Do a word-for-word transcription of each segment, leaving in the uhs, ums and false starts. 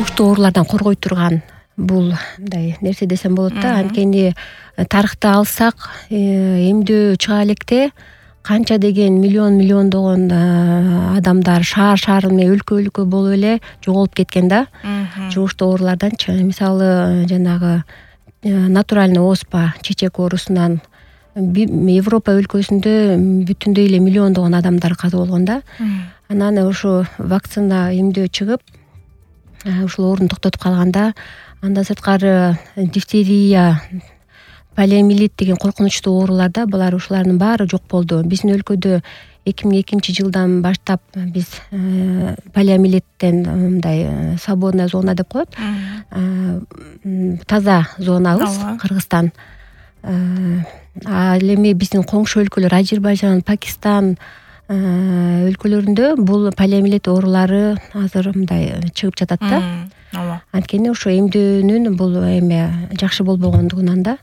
жугуштуу оорулардан коргой турган бул мындай нерсе десем болот да. Анткени тарыхты алсак, эмдөө чыга электе канча деген миллион миллиондогон адамдар шаар шаар менен өлкө өлкө болуп эле жоголуп кеткен да. Жугуштуу ооруларданчы. Мисалы жанагы натуральный оспа, чечек оорусунан Европа өлкөсүндө бүтүндөй эле миллиондогон адамдар каза болгон да. Анан ошо вакцина эмдөө чыгып, ушул оорууну токтотуп калганда, андан сырткары дифтерия, полиомиелит деген коркунучтуу оорулар да, булар ушулардын баары жок болду. Биздин өлкөдө эки миң экинчи жылдан баштап биз полиомиелиттен мындай свободная зона деп коет. Таза зонабыз Кыргызстан. Ал эми биздин коңшу өлкөлөр Азербайжан, Пакистан өлкөлөрүндө бул полиомиелит оорулары азыр мындай чыгып жатат да. Ооба. Анткени ошо эмдөөнүн бул эме жакшы болбогондугунан да.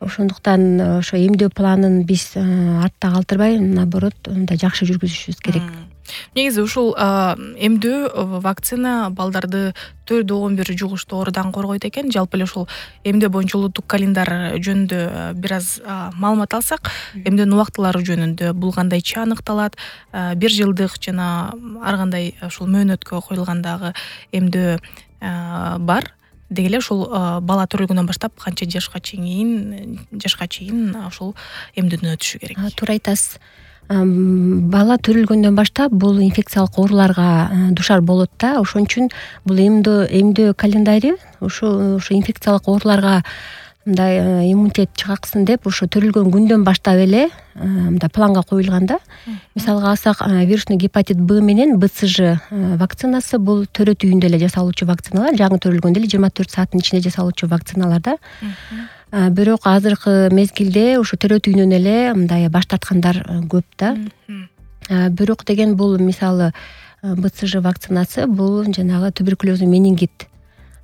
Ошондуктан ошо эмдөө планын биз артта калтырбай, наоборот, мындай жакшы жүргүзүшүбүз керек. Негизи ушул эмдөө вакцина балдарды төрт он бир жугуштуу оорудан коргойт экен. Жалпы эле ушул эмдөө боюнча улуттук календар жөнүндө бир аз маалымат алсак, эмдөөнүн убактылары жөнүндө бул кандайча аныкталат? Бир жылдык жана ар кандай ушул мөөнөткө коюлгандагы эмдөө бар. Деги эле ушул бала төрөлгөндөн баштап канча жашка чейин жашка чейин ушул эмдөөдөн өтүшү керек? Туура айтасыз. Бала төрөлгөндөн баштап бул инфекциялык ооруларга душар болот да. Ошон үчүн бул эмдөө эмдөө календари ошо ошо инфекциялык ооруларга мындай иммунитет чыгаксын деп ошо төрөлгөн күндөн баштап эле мындай планга коюлган да. Мисалга алсак, вирусный гепатит Б менен Б С Ж вакцинасы бул төрөт үйүндө эле жасалуучу вакциналар, жаңы төрөлгөндө эле жыйырма төрт сааттын ичинде жасалуучу вакциналар да. Бирок азыркы мезгилде ошо төрөт үйүнөн эле мындай баш тарткандар көп да. Бирок деген бул мисалы Б С Ж вакцинасы бул жанагы туберкулезный менингит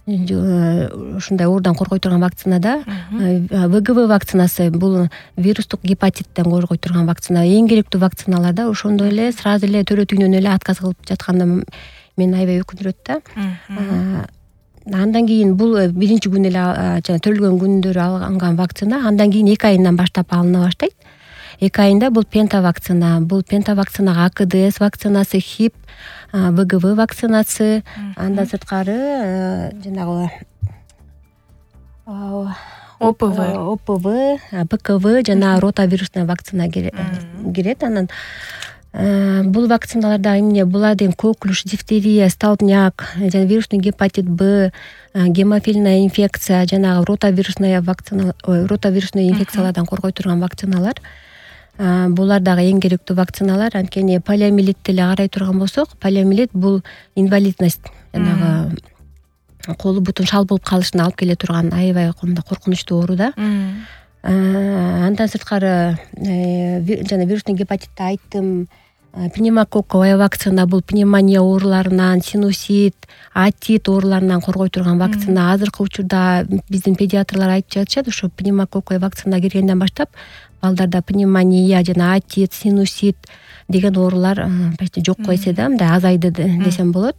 ушундай оорудан коргой турган вакцина да. В Г В вакцинасы бул вирустук гепатиттен коргой турган вакцина. Эң керектүү вакциналар да. Ошондой эле сразу эле төрөт үйүнөн эле отказ кылып жатканда мени аябай өкүндүрөт да. Андан кийин бул биринчи күн эле жана төрөлгөн күндөрү алынган вакцина, андан кийин эки айынан баштап алына баштайт. эки айында бул пента вакцина, бул пента вакцинага А К Д С вакцинасы, Хип, В Г В вакцинасы, андан сырткары жанагы О П В, О П В, Б К В жана ротавирусная вакцина кирет. Анан бул вакциналарда эмне булар деген коклюш, дифтерия, столбняк, жана вирусный гепатит Б, гемофильная инфекция, жанагы ротавирусная вакцина, ротавирусный инфекциялардан коргой турган вакциналар. Булар дагы эң керектүү вакциналар. Анткени полиомиелитти эле карай турган болсок, полиомиелит бул инвалидность, жанагы колу бутун шал болуп калышына алып келе турган аябай коркунучтуу оору да. Андан сырткары жана вирусный гепатитти айттым. Пневмококковая вакцина бул пневмония ооруларынан, синусит, атит ооруларынан коргой турган вакцина. Азыркы учурда биздин педиатрлар айтып жатышат, ошо пневмококковая вакцина киргенден баштап балдарда пневмония жана атит, синусит деген оорулар почти жокко эсе да, мындай азайды десем болот.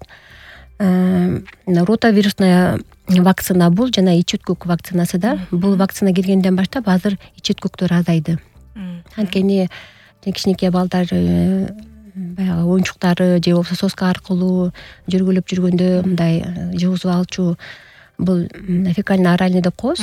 Ротавирусная вакцина бул жана ич өткөк вакцинасы да. Бул вакцина киргенден баштап азыр ич өткөктөр азайды. Анткени кичинекей балдар баягы оюнчуктары же болбосо соска аркылуу жүргүлөп жүргөндө мындай жугузуп алчу бул фекально-оральный деп коебуз.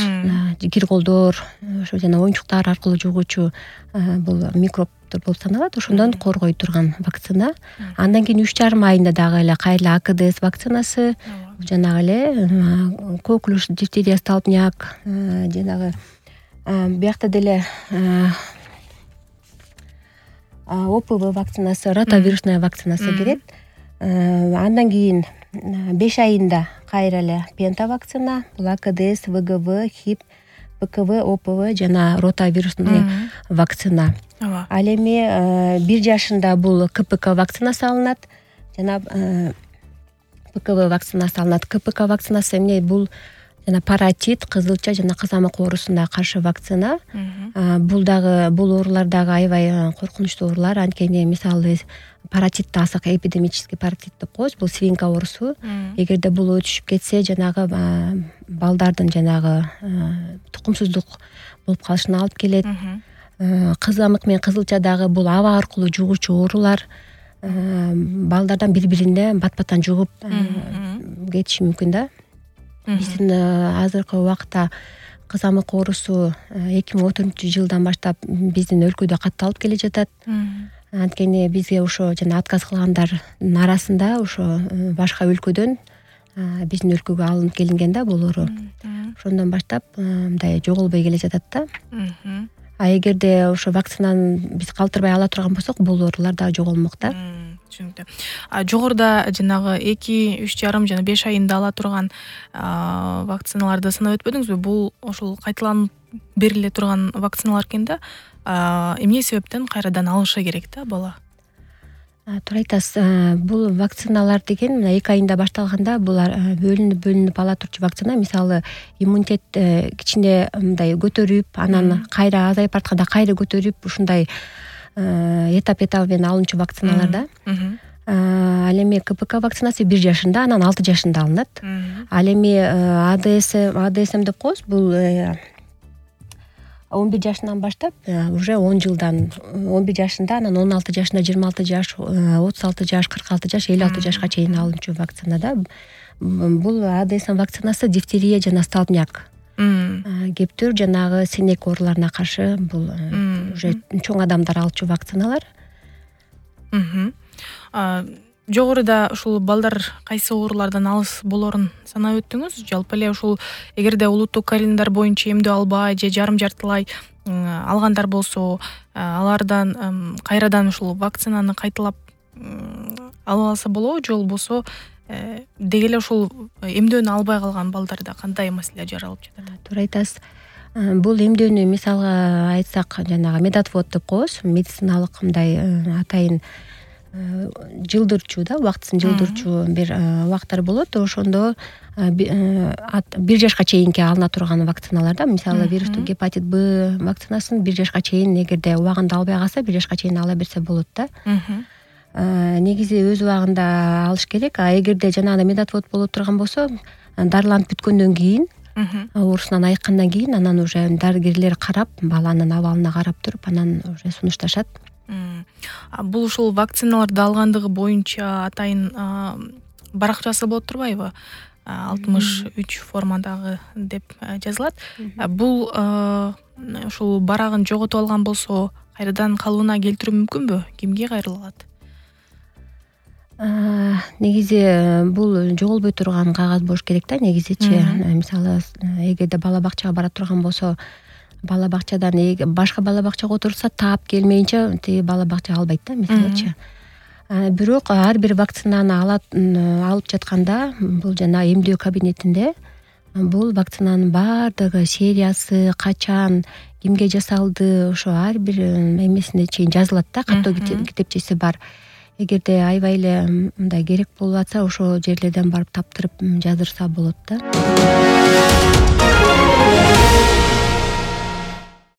Кир колдор, ошо жана оюнчуктар аркылуу жугуучу бул микробдор болуп саналат. Ошондон коргой турган вакцина. Андан кийин үч жарым айында дагы эле кайра А К Д С вакцинасы, жанагы эле коклюш, дифтерия, столбняк, жанагы биякта деле О П В вакцинасы, ротавирусная вакцинасы кирет. Андан кийин беш айында кайра эле пента вакцина, бул А К Д С, В Г В, Хип, Б К В, О П В жана ротавирусный вакцина. Ал эми бир жашында бул К П К вакцинасы алынат жана Б К В вакцинасы алынат. К П К вакцинасы эмне? Бул жана паротит, кызылча жана кызамык оорусуна каршы вакцина. Бул дагы бул оорулар дагы аябай коркунучтуу оорулар. Анткени мисалы паротитти алсак, эпидемический паротит деп коебуз. Бул свинка оорусу. Эгерде бул өтүшүп кетсе, жанагы балдардын жанагы тукумсуздук болуп калышына алып келет. Кызамык менен кызылча дагы бул аба аркылуу жугуучу оорулар. Балдардан бири-бирине бат-баттан жугуп кетиши мүмкүн да. Биздин азыркы убакта кызамык оорусу эки миң он төртүнчү жылдан баштап биздин өлкөдө катталып келе жатат. Анткени бизге ошо жана отказ кылгандардын арасында ошо башка өлкөдөн биздин өлкөгө алынып келинген да бул оору. Ошондон баштап мындай жоголбой келе жатат да. А эгерде ошо вакцинаны биз калтырбай ала турган болсок, бул оорулар дагы жоголмок да. Түшүнүктүү. А жогоруда жанагы эки, үч жарым жана беш айында ала турган вакциналарды санап өтпөдүңүзбү? Бул ошол кайталанып бериле турган вакциналар экен да. Эмне себептен кайрадан алышы керек да бала? Туура айтасыз. Бул вакциналар деген мына эки айында башталганда булар бөлүнүп бөлүнүп ала турчу вакцина. Мисалы иммунитет кичине мындай көтөрүп, анан кайра азайып баратканда кайра көтөрүп, ушундай этап этап менен алынчу вакциналар да. Ал эми КПК вакцинасы бир жашында, анан алты жашында алынат. Ал эми АДС, АДСМ деп коебуз. Бул он бир жашынан баштап уже он жылдан, он бир жашында, анан он алты жашында, жыйырма алты жаш, отуз алты жаш, кырк алты жаш, элүү алты жашка чейин алынчу вакцина да. Бул АДСМ вакцинасы дифтерия жана столбняк, кептөр жанагы сенек ооруларына каршы бул уже чоң адамдар алчу вакциналар. Жогоруда ушул балдар кайсы оорулардан алыс болорун санап өттүңүз. Жалпы эле ушул эгерде улуттук календарь боюнча эмдөө албай же жарым жартылай алгандар болсо, алардан кайрадан ушул вакцинаны кайталап ала алса болобу, же болбосо деги эле ушул эмдөөнү албай калган балдарда кандай маселе жаралып жатат? Туура айтасыз. Бул эмдөөнү мисалга айтсак, жанагы медотвод деп коебуз, медициналык мындай атайын жылдырчу да, убактысын жылдырчу бир убактар болот. Ошондо бир жашка чейинки алына турган вакциналар да. Мисалы вирустук гепатит Б вакцинасын бир жашка чейин, эгерде убагында албай калса, бир жашка чейин ала берсе болот да. Негизи өз убагында алыш керек. А эгерде жанагы медотвод боло турган болсо, дарыланып бүткөндөн кийин, оорусунан айыккандан кийин, анан уже дарыгерлер карап, баланын абалына карап туруп, анан уже сунушташат. Бул ушул вакциналарды алгандыгы боюнча атайын баракчасы болот турбайбы? алтымыш үч формадагы деп жазылат. Бул ушул барагын жоготуп алган болсо, кайрадан калыбына келтирүү мүмкүнбү? Кимге кайрылат? Негизи бул жоголбой турган кагаз болуш керек да, негизичи. Мисалы, эгерде бала бакчага бара турган болсо, бала бакчадан башка бала бакчага отурса, таап келмейинче тиги бала бакча албайт да, мисалычы. Бирок ар бир вакцинаны алып жатканда, бул жана эмдөө кабинетинде бул вакцинанын баардыгы, сериясы, качан, кимге жасалды, ошо ар бир эмесине чейин жазылат да, каттоо китепчеси бар. Эгерде аябай эле мындай керек болуп атса, ошо жерлерден барып таптырып жаздырса болот да.